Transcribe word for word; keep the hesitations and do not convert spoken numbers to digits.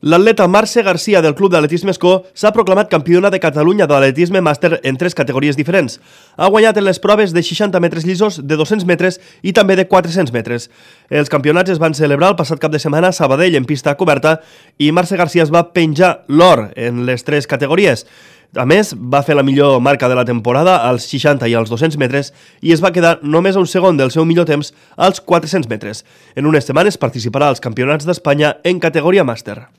L'atleta Marce Garcia del Club d'Atletisme Escó s'ha proclamat campiona de Catalunya de l'atletisme màster en tres categories diferents. Ha guanyat en les proves de seixanta metres llisos, de dos-cents metres i també de quatre-cents metres. Els campionats es van celebrar el passat cap de setmana a Sabadell en pista coberta i Marce Garcia es va penjar l'or en les tres categories. A més, va fer la millor marca de la temporada als seixanta i als dos-cents metres i es va quedar només a un segon del seu millor temps als quatre-cents metres. En unes setmanes participarà als Campionats d'Espanya en categoria màster.